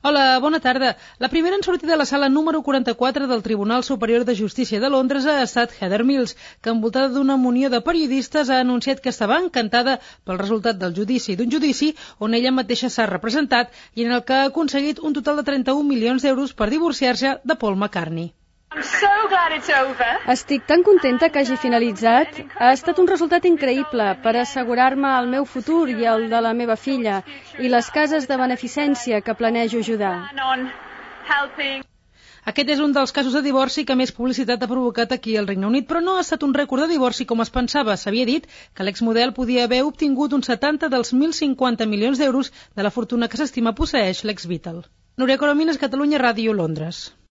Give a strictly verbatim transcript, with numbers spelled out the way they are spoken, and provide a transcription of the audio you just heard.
Hola, bona tarda. La primera en sortir de la sala número quaranta-quatre del Tribunal Superior de Justícia de Londres ha estat Heather Mills, que envoltada d'una munió de periodistes ha anunciat que estava encantada pel resultat del judici d'un judici on ella mateixa s'ha representat i en el que ha aconseguit un total de trenta-un milions d'euros per divorciar-se de Paul McCartney. Estic tan contenta que hagi finalitzat. Ha estat un resultat increïble per assegurar-me el meu futur i el de la meva filla i les cases de beneficència que planejo ajudar. Aquest és un dels casos de divorci que més publicitat ha provocat aquí al Regne Unit, però no ha estat un rècord de divorci com es pensava. S'havia dit que l'exmodel podia haver obtingut un setanta dels mil cinquanta milions d'euros de la fortuna que s'estima posseeix l'ex-Beatle. Núria Coromines, Catalunya Ràdio, Londres.